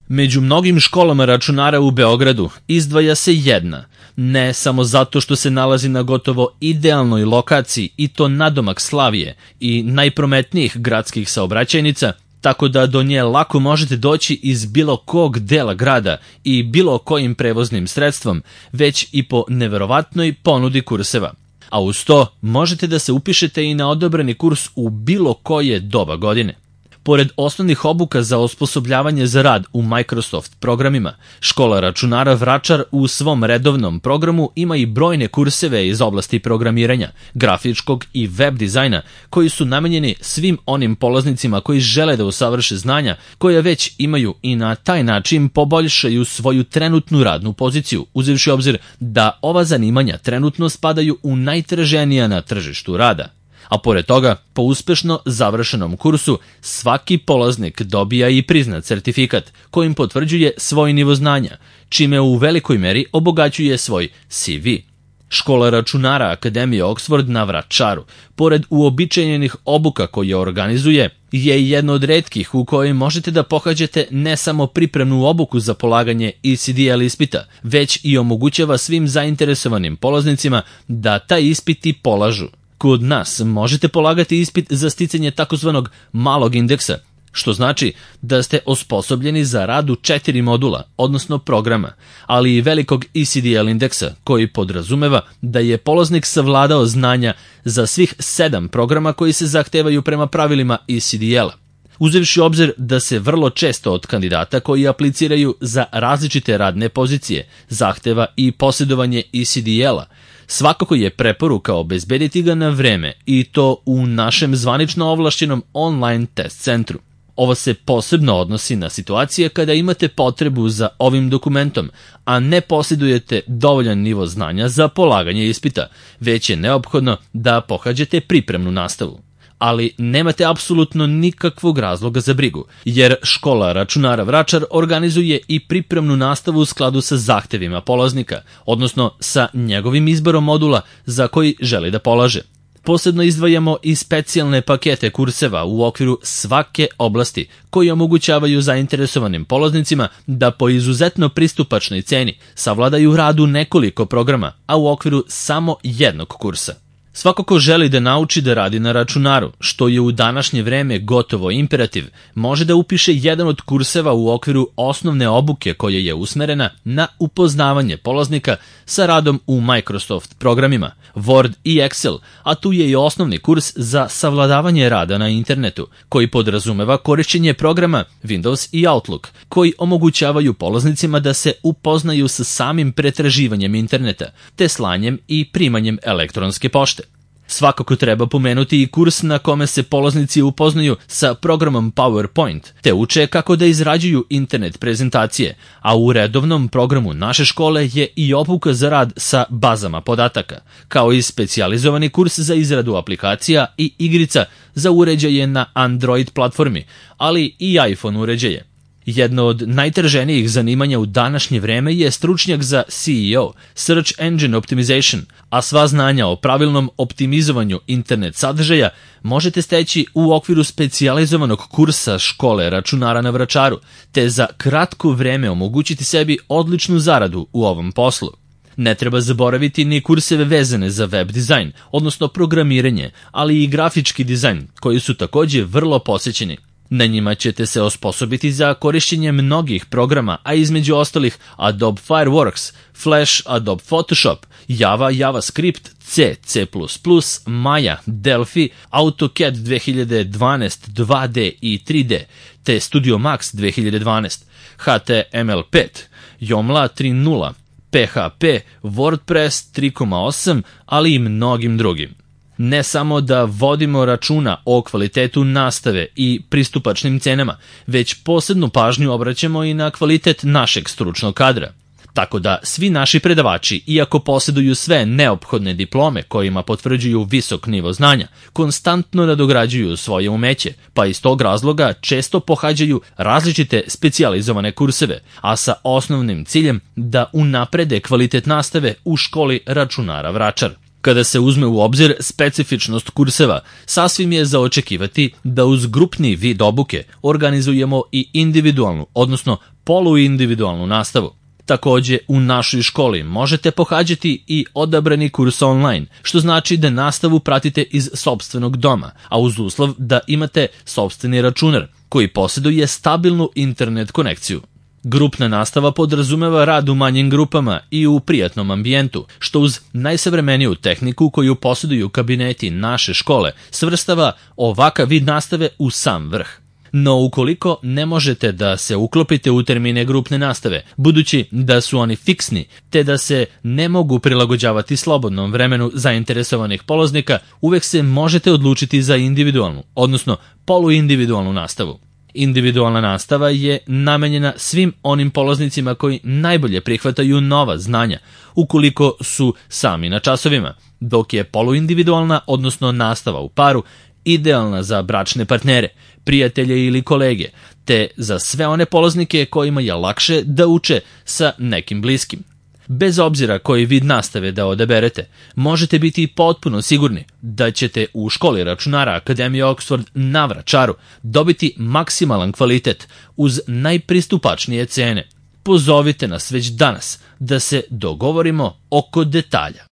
Među mnogim školama računara u Beogradu izdvaja se jedna, ne samo zato što se nalazi na gotovo idealnoj lokaciji i to nadomak Slavije i najprometnijih gradskih saobraćajnica, tako da do nje lako možete doći iz bilo kog dela grada i bilo kojim prevoznim sredstvom, već i po neverovatnoj ponudi kurseva. A uz to možete da se upišete i na odabrani kurs u bilo koje doba godine. Pored osnovnih obuka za osposobljavanje za rad u Microsoft programima, škola računara Vračar u svom redovnom programu ima i brojne kurseve iz oblasti programiranja, grafičkog i web dizajna koji su namenjeni svim onim polaznicima koji žele da usavrše znanja koja već imaju i na taj način poboljšaju svoju trenutnu radnu poziciju, uzevši obzir da ova zanimanja trenutno spadaju u najtraženija na tržištu rada. A pored toga, po uspešno završenom kursu, svaki polaznik dobija i priznat certifikat kojim potvrđuje svoj nivo znanja, čime u velikoj meri obogaćuje svoj CV. Škola računara Akademije Oxford na Vračaru, pored uobičajenih obuka koje organizuje, je jedno od retkih u kojoj možete da pohađate ne samo pripremnu obuku za polaganje ECDL ispita, već i omogućava svim zainteresovanim polaznicima da taj ispit i polažu. Kod nas možete polagati ispit za sticanje takozvanog malog indeksa, što znači da ste osposobljeni za rad u 4 modula, odnosno programa, ali i velikog ECDL indeksa, koji podrazumeva da je polaznik savladao znanja za svih 7 programa koji se zahtevaju prema pravilima ECDL-a. Uzevši obzir da se vrlo često od kandidata koji apliciraju za različite radne pozicije zahteva i posjedovanje ECDL-a, svakako je preporuka obezbediti ga na vreme i to u našem zvanično ovlašćenom online test centru. Ovo se posebno odnosi na situacije kada imate potrebu za ovim dokumentom, a ne posjedujete dovoljan nivo znanja za polaganje ispita, već je neophodno da pohađate pripremnu nastavu. Ali nemate apsolutno nikakvog razloga za brigu, jer škola računara Vračar organizuje i pripremnu nastavu u skladu sa zahtevima polaznika, odnosno sa njegovim izborom modula za koji želi da polaže. Posebno izdvajamo i specijalne pakete kurseva u okviru svake oblasti koji omogućavaju zainteresovanim polaznicima da po izuzetno pristupačnoj ceni savladaju rad u nekoliko programa, a u okviru samo jednog kursa. Svako ko želi da nauči da radi na računaru, što je u današnje vreme gotovo imperativ, može da upiše jedan od kurseva u okviru osnovne obuke koja je usmerena na upoznavanje polaznika sa radom u Microsoft programima, Word i Excel, a tu je i osnovni kurs za savladavanje rada na internetu, koji podrazumeva korišćenje programa Windows i Outlook, koji omogućavaju polaznicima da se upoznaju sa samim pretraživanjem interneta, te slanjem i primanjem elektronske pošte. Svakako treba pomenuti i kurs na kome se polaznici upoznaju sa programom PowerPoint, te uče kako da izrađuju internet prezentacije, a u redovnom programu naše škole je i obuka za rad sa bazama podataka, kao i specijalizovani kurs za izradu aplikacija i igrica za uređaje na Android platformi, ali i iPhone uređaje. Jedno od najtraženijih zanimanja u današnje vreme je stručnjak za SEO, Search Engine Optimization, a sva znanja o pravilnom optimizovanju internet sadržaja možete steći u okviru specijalizovanog kursa škole računara na Vračaru, te za kratko vreme omogućiti sebi odličnu zaradu u ovom poslu. Ne treba zaboraviti ni kurseve vezane za web dizajn, odnosno programiranje, ali i grafički dizajn, koji su takođe vrlo posećeni. Na njima ćete se osposobiti za korišćenje mnogih programa, a između ostalih Adobe Fireworks, Flash, Adobe Photoshop, Java, JavaScript, C, C++, Maya, Delphi, AutoCAD 2012, 2D i 3D, te Studio Max 2012, HTML5, Joomla 3.0, PHP, WordPress 3.8, ali i mnogim drugim. Ne samo da vodimo računa o kvalitetu nastave i pristupačnim cenama, već posebnu pažnju obraćamo i na kvalitet našeg stručnog kadra. Tako da svi naši predavači, iako posjeduju sve neophodne diplome kojima potvrđuju visok nivo znanja, konstantno nadograđuju svoje umeće, pa iz tog razloga često pohađaju različite specijalizovane kurseve, a sa osnovnim ciljem da unaprede kvalitet nastave u školi računara Vračar. Kada se uzme u obzir specifičnost kurseva, sasvim je za očekivati da uz grupni vid obuke organizujemo i individualnu, odnosno poluindividualnu nastavu. Takođe, u našoj školi možete pohađati i odabrani kurs online, što znači da nastavu pratite iz sopstvenog doma, a uz uslov da imate sopstveni računar koji posjeduje stabilnu internet konekciju. Grupna nastava podrazumeva rad u manjim grupama i u prijatnom ambijentu, što uz najsavremeniju tehniku koju posjeduju kabineti naše škole svrstava ovakav vid nastave u sam vrh. No ukoliko ne možete da se uklopite u termine grupne nastave, budući da su oni fiksni, te da se ne mogu prilagođavati slobodnom vremenu zainteresovanih polaznika, uvek se možete odlučiti za individualnu, odnosno poluindividualnu nastavu. Individualna nastava je namenjena svim onim polaznicima koji najbolje prihvataju nova znanja, ukoliko su sami na časovima, dok je poluindividualna, odnosno nastava u paru, idealna za bračne partnere, prijatelje ili kolege, te za sve one polaznike kojima je lakše da uče sa nekim bliskim. Bez obzira koji vid nastave da odaberete, možete biti potpuno sigurni da ćete u školi računara Akademije Oxford na Vračaru dobiti maksimalan kvalitet uz najpristupačnije cene. Pozovite nas već danas da se dogovorimo oko detalja.